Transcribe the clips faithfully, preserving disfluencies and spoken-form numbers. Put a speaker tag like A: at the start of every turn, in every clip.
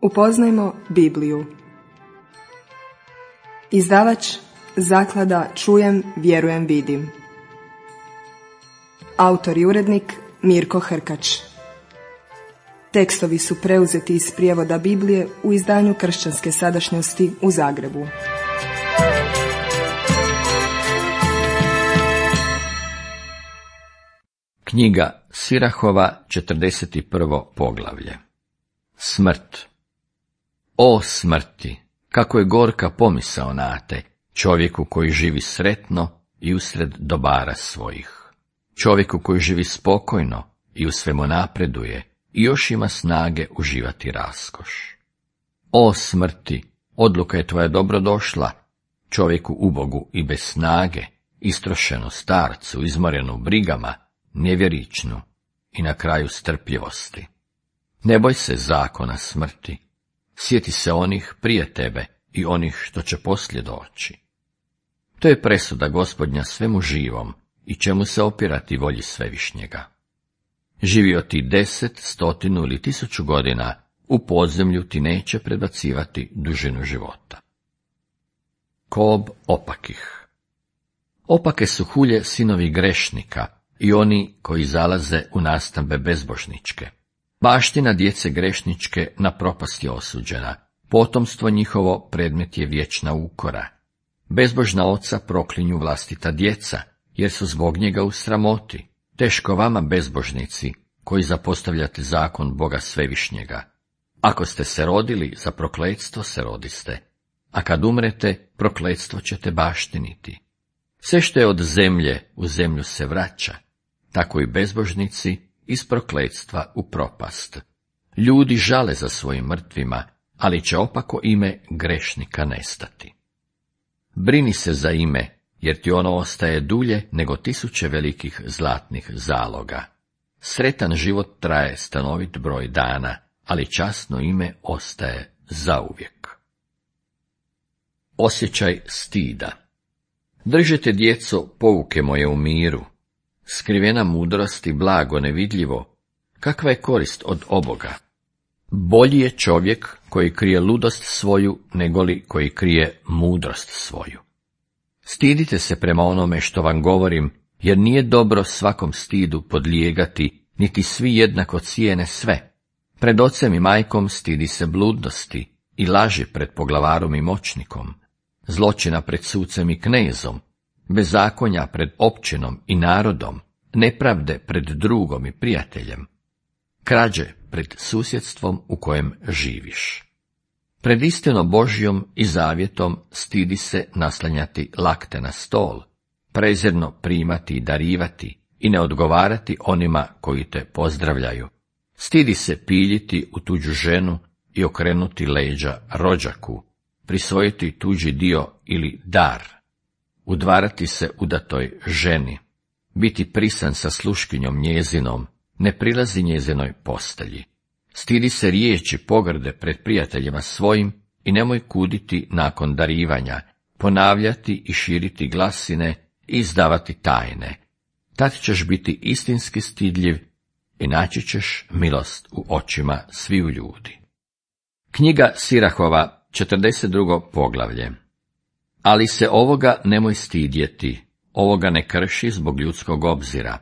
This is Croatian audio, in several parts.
A: Upoznajmo Bibliju. Izdavač Zaklada Čujem, vjerujem, vidim. Autor i urednik Mirko Hrkač. Tekstovi su preuzeti iz prijevoda Biblije u izdanju Kršćanske sadašnjosti u Zagrebu.
B: Knjiga Sirahova, četrdeset prvo poglavlje. Smrt. O smrti, kako je gorka pomisao na te, čovjeku koji živi sretno i usred dobara svojih. Čovjeku koji živi spokojno i u svemu napreduje i još ima snage uživati raskoš. O smrti, odluka je tvoja dobrodošla, čovjeku ubogu i bez snage, istrošenu starcu, izmorenu brigama, nevjeričnu i na kraju strpljivosti. Ne boj se zakona smrti, sjeti se onih prije tebe i onih što će poslije doći. To je presuda Gospodnja svemu živom i čemu se opirati volji Svevišnjega. Živio ti deset, stotinu ili tisuću godina, u podzemlju ti neće predbacivati dužinu života. Kob opakih. Opake su hulje sinovi grešnika i oni koji zalaze u nastambe bezbožničke. Baština djece grešničke na propast je osuđena, potomstvo njihovo predmet je vječna ukora. Bezbožna oca proklinju vlastita djeca, jer su zbog njega u sramoti. Teško vama, bezbožnici, koji zapostavljate zakon Boga Svevišnjega. Ako ste se rodili, za prokletstvo se rodiste, a kad umrete, prokletstvo ćete baštiniti. Sve što je od zemlje u zemlju se vraća, tako i bezbožnici iz prokletstva u propast. Ljudi žale za svojim mrtvima, ali će opako ime grešnika nestati. Brini se za ime, jer ti ono ostaje dulje nego tisuće velikih zlatnih zaloga. Sretan život traje stanovit broj dana, ali časno ime ostaje zauvijek. Osjećaj stida. Držite, djeco, pouke moje u miru. Skrivena mudrost i blago nevidljivo, kakva je korist od oboga? Bolji je čovjek koji krije ludost svoju, negoli koji krije mudrost svoju. Stidite se prema onome što vam govorim, jer nije dobro svakom stidu podlijegati, niti svi jednako cijene sve. Pred ocem i majkom stidi se bludnosti i laži pred poglavarom i moćnikom, zločina pred sucem i knezom, bezakonja pred općinom i narodom, nepravde pred drugom i prijateljem, krađe pred susjedstvom u kojem živiš. Pred istinom Božjom i zavjetom stidi se naslanjati lakte na stol, prezirno primati i darivati i ne odgovarati onima koji te pozdravljaju. Stidi se piljiti u tuđu ženu i okrenuti leđa rođaku, prisvojiti tuđi dio ili dar, udvarati se udatoj ženi, biti prisan sa sluškinjom njezinom, ne prilazi njezinoj postelji. Stidi se riječi pogrde pred prijateljima svojim i nemoj kuditi nakon darivanja, ponavljati i širiti glasine i izdavati tajne. Tad ćeš biti istinski stidljiv i naći ćeš milost u očima sviju ljudi. Knjiga Sirahova, četrdeset drugo poglavlje. Ali se ovoga nemoj stidjeti, ovoga ne krši zbog ljudskog obzira,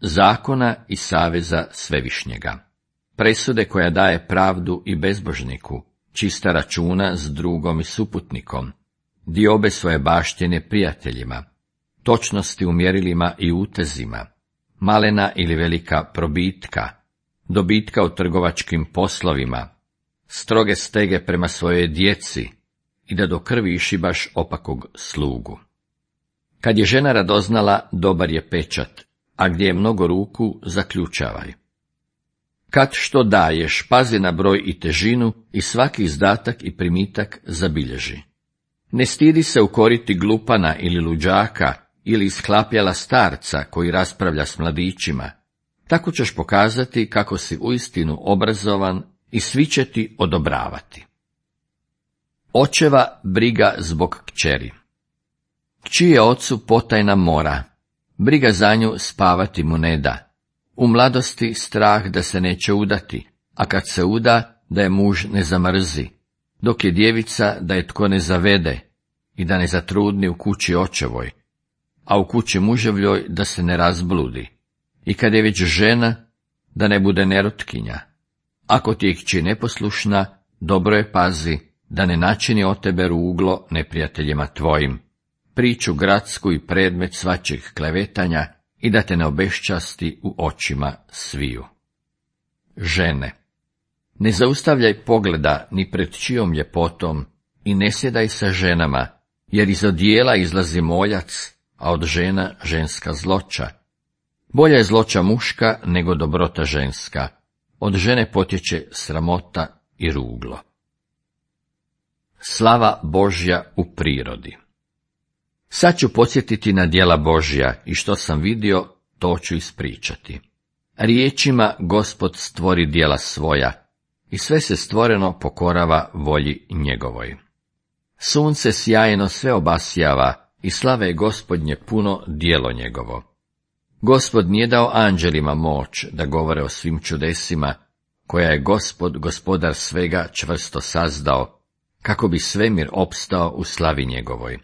B: zakona i saveza Svevišnjega. Presude koja daje pravdu i bezbožniku, čista računa s drugom i suputnikom, diobe svoje baštine prijateljima, točnosti u mjerilima i utezima, malena ili velika probitka, dobitka u trgovačkim poslovima, stroge stege prema svojoj djeci i da do krvi išibaš opakog slugu. Kad je žena radoznala, dobar je pečat, a gdje je mnogo ruku, zaključavaj. Kad što daješ, pazi na broj i težinu i svaki izdatak i primitak zabilježi. Ne stidi se ukoriti glupana ili luđaka ili isklapjala starca koji raspravlja s mladićima. Tako ćeš pokazati kako si uistinu obrazovan i svi će ti odobravati. Očeva briga zbog kćeri. Kći je ocu potajna mora, briga za nju spavati mu ne da. U mladosti strah da se neće udati, a kad se uda, da je muž ne zamrzi, dok je djevica da je tko ne zavede i da ne zatrudni u kući očevoj, a u kući muževljoj da se ne razbludi, i kad je već žena, da ne bude nerotkinja. Ako ti je kći neposlušna, dobro je pazi, da ne načini od tebe ruglo neprijateljima tvojim, priču gradsku i predmet svačeg klevetanja, i da te ne obeščasti u očima sviju. Žene, ne zaustavljaj pogleda ni pred čijom ljepotom i ne sjedaj sa ženama, jer iz odijela izlazi moljac, a od žena ženska zloća. Bolja je zloća muška nego dobrota ženska, od žene potječe sramota i ruglo. Slava Božja u prirodi. Sad ću podsjetiti na djela Božja i što sam vidio, to ću ispričati. Riječima Gospod stvori djela svoja i sve se stvoreno pokorava volji njegovoj. Sunce sjajno sve obasjava i slave je Gospodnje puno djelo njegovo. Gospod nije dao anđelima moć da govore o svim čudesima, koja je Gospod, gospodar svega, čvrsto sazdao, kako bi svemir opstao u slavi njegovoj.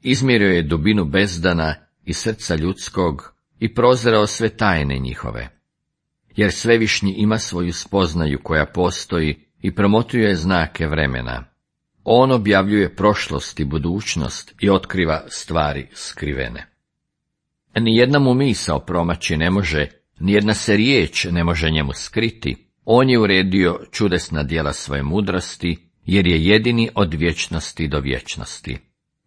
B: Izmjerio je dubinu bezdana i srca ljudskog i prozreo sve tajne njihove. Jer Svevišnji ima svoju spoznaju koja postoji i promotrio znake vremena. On objavljuje prošlost i budućnost i otkriva stvari skrivene. Nijedna mu misao promaći ne može, nijedna se riječ ne može njemu skriti. On je uredio čudesna djela svoje mudrosti, jer je jedini od vječnosti do vječnosti.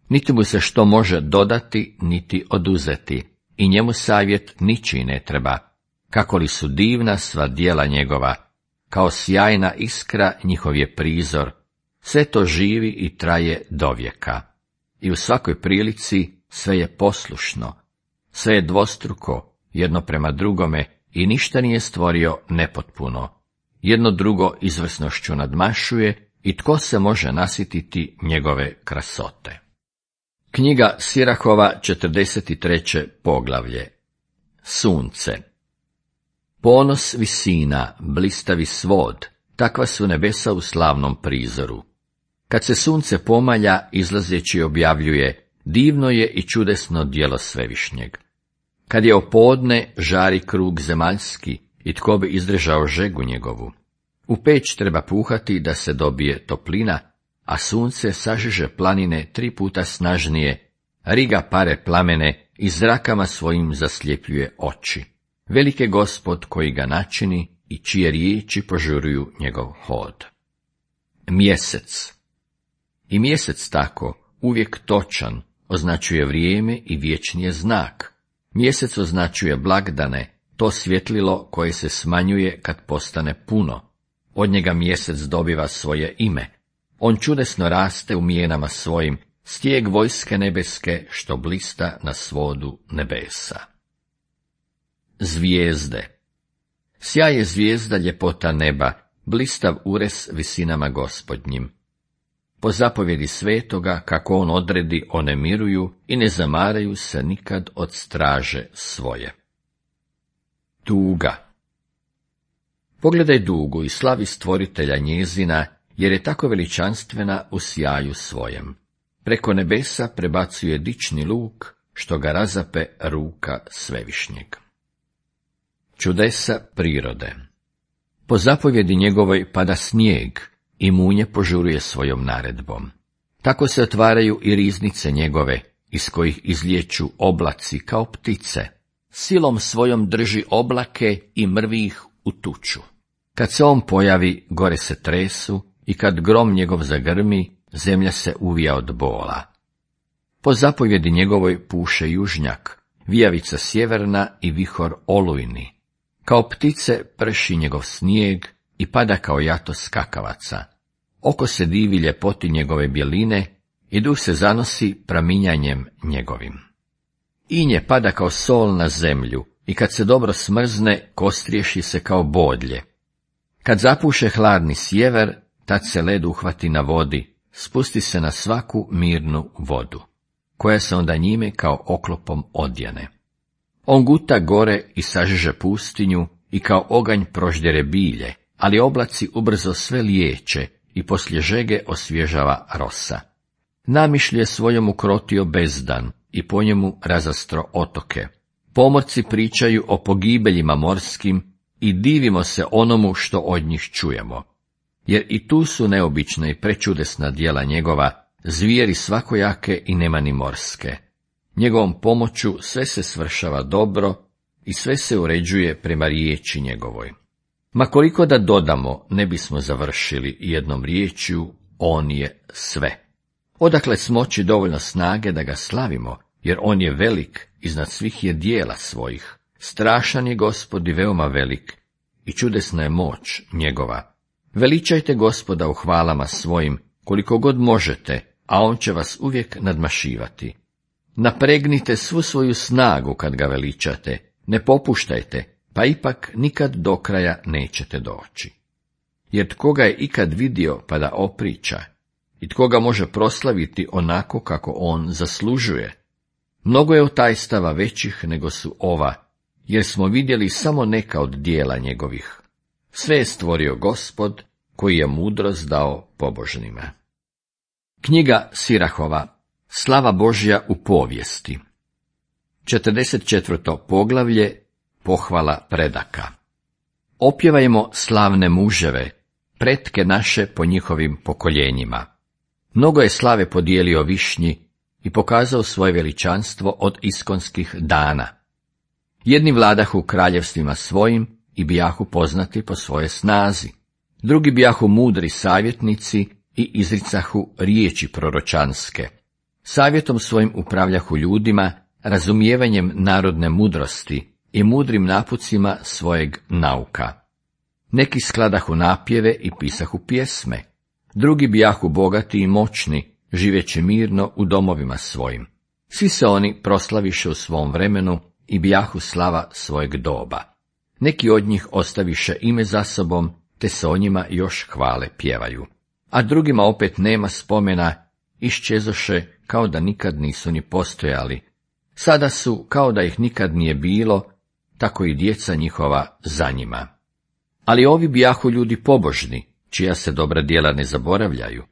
B: Niti mu se što može dodati, niti oduzeti, i njemu savjet ničiji ne treba, kako li su divna sva djela njegova, kao sjajna iskra njihov je prizor, sve to živi i traje dovijeka. I u svakoj prilici sve je poslušno, sve je dvostruko, jedno prema drugome, i ništa nije stvorio nepotpuno. Jedno drugo izvrsnošću nadmašuje, i tko se može nasititi njegove krasote. Knjiga Sirahova, četrdeset treće poglavlje. Sunce. Ponos visina, blistavi svod, takva su nebesa u slavnom prizoru. Kad se sunce pomalja, izlazeći objavljuje, divno je i čudesno djelo Svevišnjeg. Kad je opodne, žari krug zemaljski, i tko bi izdržao žegu njegovu. U peć treba puhati da se dobije toplina, a sunce sažiže planine tri puta snažnije, riga pare plamene i zrakama svojim zasljepljuje oči. Velik je Gospod koji ga načini i čije riječi požuruju njegov hod. Mjesec. I mjesec tako, uvijek točan, označuje vrijeme i vječni je znak. Mjesec označuje blagdane, to svjetlilo koje se smanjuje kad postane puno. Od njega mjesec dobiva svoje ime. On čudesno raste u mijenama svojim, stijeg vojske nebeske što blista na svodu nebesa. Zvijezde. Sjaj je zvijezda ljepota neba, blistav ures visinama Gospodnjim. Po zapovjedi svetoga, kako on odredi, one miruju i ne zamaraju se nikad od straže svoje. Tuga. Pogledaj dugu i slavi stvoritelja njezina, jer je tako veličanstvena u sjaju svojem. Preko nebesa prebacuje dični luk, što ga razape ruka Svevišnjeg. Čudesa prirode. Po zapovjedi njegovoj pada snijeg i munje požuruje svojom naredbom. Tako se otvaraju i riznice njegove, iz kojih izlječu oblaci kao ptice. Silom svojom drži oblake i mrvi ih u tuču. Kad se on pojavi, gore se tresu, i kad grom njegov zagrmi, zemlja se uvija od bola. Po zapovjedi njegovoj puše južnjak, vijavica sjeverna i vihor olujni. Kao ptice prši njegov snijeg i pada kao jato skakavaca. Oko se divi ljepoti njegove bjeline i duh se zanosi praminjanjem njegovim. Inje pada kao sol na zemlju i kad se dobro smrzne, kostriješi se kao bodlje. Kad zapuše hladni sjever, tad se led uhvati na vodi, spusti se na svaku mirnu vodu, koja se onda njime kao oklopom odjene. On guta gore i sažiže pustinju i kao oganj proždere bilje, ali oblaci ubrzo sve liječe i poslije žege osvježava rosa. Namišlju je svojom ukrotio bezdan i po njemu razastro otoke. Pomorci pričaju o pogibeljima morskim i divimo se onomu što od njih čujemo. Jer i tu su neobična i prečudesna djela njegova, zvijeri svakojake i nemani morske. Njegovom pomoću sve se svršava dobro i sve se uređuje prema riječi njegovoj. Ma koliko da dodamo, ne bismo završili jednom riječju, on je sve. Odakle smoći dovoljno snage da ga slavimo, jer on je velik, iznad svih je dijela svojih. Strašan je Gospod i veoma velik, i čudesna je moć njegova. Veličajte Gospoda u hvalama svojim, koliko god možete, a on će vas uvijek nadmašivati. Napregnite svu svoju snagu kad ga veličate, ne popuštajte, pa ipak nikad do kraja nećete doći. Jer tko ga je ikad vidio pa da opriča, i tko ga može proslaviti onako kako on zaslužuje. Mnogo je otajstava većih nego su ova, jer smo vidjeli samo neka od dijela njegovih. Sve je stvorio Gospod, koji je mudrost dao pobožnima. Knjiga Sirahova, slava Božja u povijesti. četrdeset četvrto poglavlje, pohvala predaka. Opjevajmo slavne muževe, pretke naše po njihovim pokoljenjima. Mnogo je slave podijelio Višnji i pokazao svoje veličanstvo od iskonskih dana. Jedni vladahu kraljevstvima svojim i bijahu poznati po svoje snazi. Drugi bijahu mudri savjetnici i izricahu riječi proročanske. Savjetom svojim upravljahu ljudima, razumijevanjem narodne mudrosti i mudrim napucima svojeg nauka. Neki skladahu napjeve i pisahu pjesme. Drugi bijahu bogati i moćni, živeći mirno u domovima svojim. Svi se oni proslaviše u svom vremenu i bijahu slava svojeg doba. Neki od njih ostaviše ime za sobom, te se o njima još hvale pjevaju. A drugima opet nema spomena, iščezoše kao da nikad nisu ni postojali. Sada su kao da ih nikad nije bilo, tako i djeca njihova za njima. Ali ovi bijahu ljudi pobožni, čija se dobra djela ne zaboravljaju.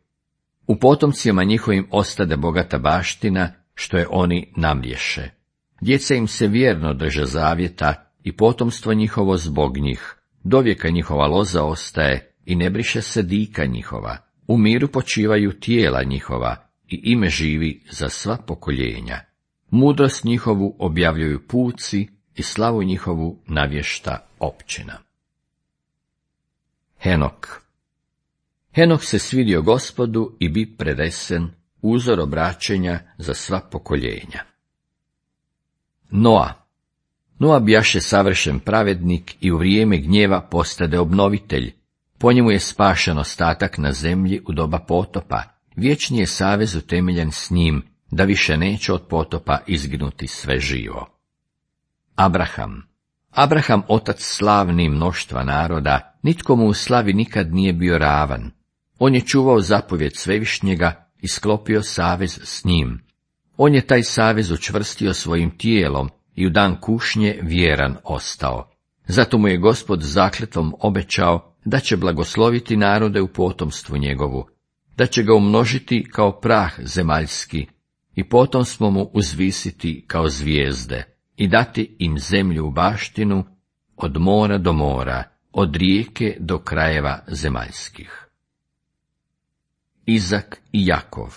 B: U potomcima njihovim ostade bogata baština, što je oni namlješe. Djeca im se vjerno drže zavjeta i potomstvo njihovo zbog njih. Dovijeka njihova loza ostaje i ne briše se dika njihova. U miru počivaju tijela njihova i ime živi za sva pokoljenja. Mudrost njihovu objavljuju puci i slavu njihovu navješta općina. Henok. Henok se svidio Gospodu i bi predesen, uzor obraćenja za sva pokoljenja. Noa. Noa bijaše savršen pravednik i u vrijeme gnjeva postade obnovitelj. Po njemu je spašen ostatak na zemlji u doba potopa. Vječni je savez utemeljen s njim, da više neće od potopa izginuti sve živo. Abraham. Abraham, otac slavni mnoštva naroda, nitko mu u slavi nikad nije bio ravan. On je čuvao zapovjed Svevišnjega i sklopio savez s njim. On je taj savez učvrstio svojim tijelom i u dan kušnje vjeran ostao. Zato mu je Gospod zakletvom obećao da će blagosloviti narode u potomstvu njegovu, da će ga umnožiti kao prah zemaljski i potomstvo mu uzvisiti kao zvijezde i dati im zemlju u baštinu od mora do mora, od rijeke do krajeva zemaljskih. Izak i Jakov.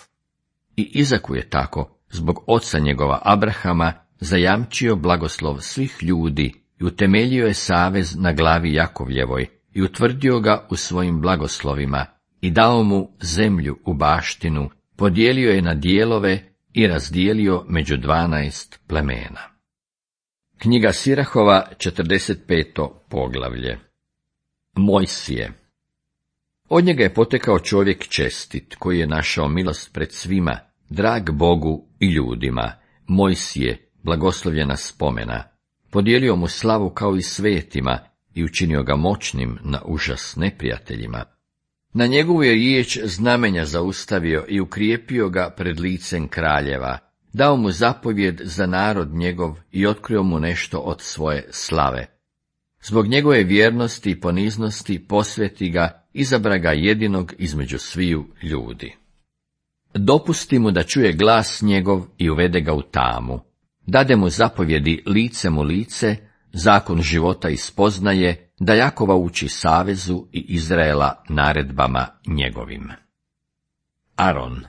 B: I Izaku je tako, zbog oca njegova Abrahama, zajamčio blagoslov svih ljudi i utemeljio je savez na glavi Jakovljevoj i utvrdio ga u svojim blagoslovima i dao mu zemlju u baštinu, podijelio je na dijelove i razdijelio među dvanaest plemena. Knjiga Sirahova, četrdeset peto poglavlje. Mojsije. Od njega je potekao čovjek čestit, koji je našao milost pred svima, drag Bogu i ljudima. Mojsije, blagoslovljena spomena, podijelio mu slavu kao i svetima i učinio ga moćnim na užas neprijateljima. Na njegovu je riječ znamenja zaustavio i ukrijepio ga pred licem kraljeva, dao mu zapovjed za narod njegov i otkrio mu nešto od svoje slave. Zbog njegove vjernosti i poniznosti posveti ga, izabra ga jedinog između sviju ljudi. Dopusti mu da čuje glas njegov i uvede ga u tamu. Dade mu zapovjedi licem u lice, zakon života ispoznaje, da Jakova uči savezu i Izraela naredbama njegovim. Aron.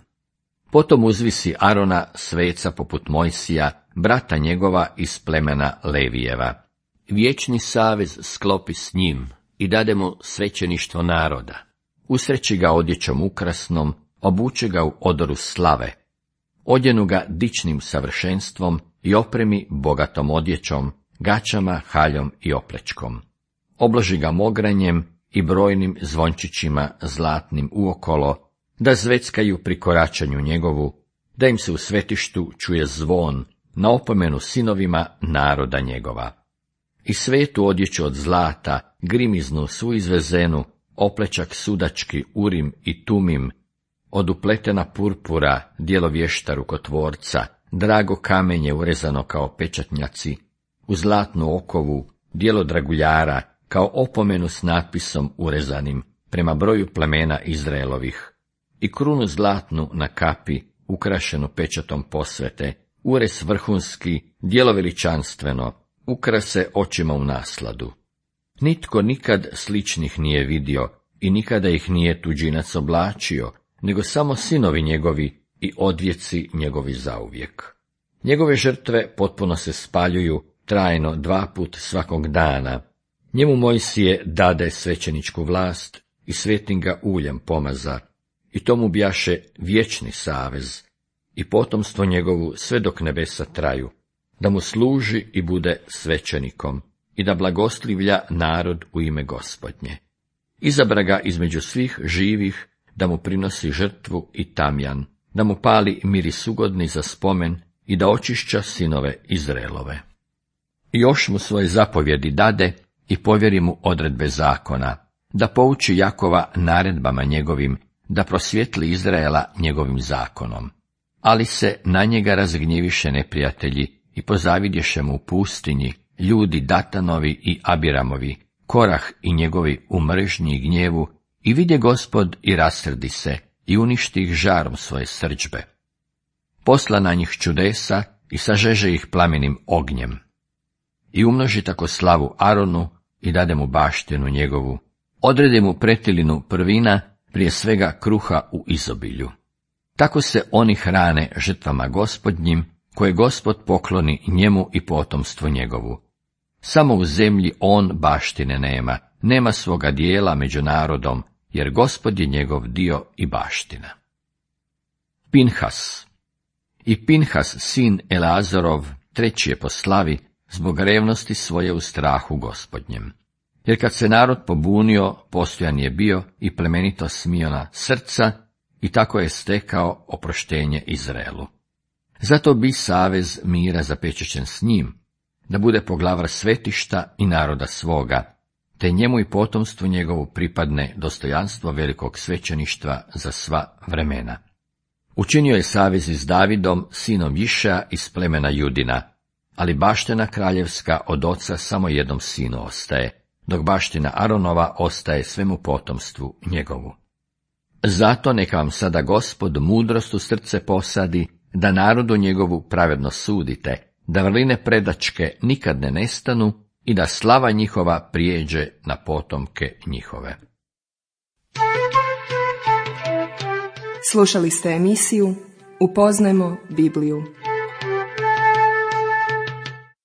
B: Potom uzvisi Arona, sveca poput Mojsija, brata njegova iz plemena Levijeva. Vječni savez sklopi s njim i dade mu svećeništvo naroda. Usreći ga odjećom ukrasnom, obuče ga u odoru slave. Odjenu ga dičnim savršenstvom i opremi bogatom odjećom, gaćama, haljom i oplečkom. Obloži ga mogranjem i brojnim zvončićima zlatnim uokolo, da zveckaju pri koračanju njegovu, da im se u svetištu čuje zvon, na opomenu sinovima naroda njegova. I svetu odjeću od zlata, grimiznu svu izvezenu, oplečak sudački, urim i tumim, od upletena purpura, dijelo vješta rukotvorca, drago kamenje urezano kao pečatnjaci, u zlatnu okovu, dijelo draguljara, kao opomenu s natpisom urezanim, prema broju plemena Izraelovih, i krunu zlatnu na kapi, ukrašenu pečatom posvete, urez vrhunski, dijelo veličanstveno, ukrase očima u nasladu. Nitko nikad sličnih nije vidio i nikada ih nije tuđinac oblačio, nego samo sinovi njegovi i odvjeci njegovi zauvijek. Njegove žrtve potpuno se spaljuju trajno dva put svakog dana. Njemu Mojsije dade svećeničku vlast i svetim ga uljem pomaza, i tomu bjaše vječni savez i potomstvo njegovu sve dok nebesa traju, da mu služi i bude svećenikom i da blagoslivlja narod u ime Gospodnje. Izabra ga između svih živih, da mu prinosi žrtvu i tamjan, da mu pali miris ugodni za spomen i da očišća sinove Izraelove. I još mu svoje zapovjedi dade i povjeri mu odredbe zakona, da pouči Jakova naredbama njegovim, da prosvjetli Izraela njegovim zakonom. Ali se na njega razgnjeviše neprijatelji i pozavidješe mu u pustinji ljudi Datanovi i Abiramovi, Korah i njegovi u mržnji i gnjevu, i vidje Gospod i rasrdi se i uništi ih žarom svoje srdžbe. Posla na njih čudesa i sažeže ih plamenim ognjem. I umnoži tako slavu Aronu i dade mu baštinu njegovu. Odredi mu pretilinu prvina, prije svega kruha u izobilju. Tako se oni hrane žrtvama Gospodnjim, koje Gospod pokloni njemu i potomstvu njegovu. Samo u zemlji on baštine nema, nema svoga dijela među narodom, jer Gospod je njegov dio i baština. Pinhas. I Pinhas, sin Eleazarov, treći je po slavi, zbog revnosti svoje u strahu Gospodnjem. Jer kad se narod pobunio, postojan je bio i plemenito smiona srca, i tako je stekao oproštenje Izraelu. Zato bi savez mira zapečećen s njim, da bude poglavar svetišta i naroda svoga, te njemu i potomstvu njegovu pripadne dostojanstvo velikog svećeništva za sva vremena. Učinio je savez s Davidom, sinom Išea iz plemena Judina, ali baština kraljevska od oca samo jednom sinu ostaje, dok baština Aronova ostaje svemu potomstvu njegovu. Zato neka vam sada Gospod mudrost u srce posadi, da narodu njegovu pravedno sudite, da vrline predačke nikad ne nestanu i da slava njihova prijeđe na potomke njihove.
A: Slušali ste emisiju Upoznajmo Bibliju.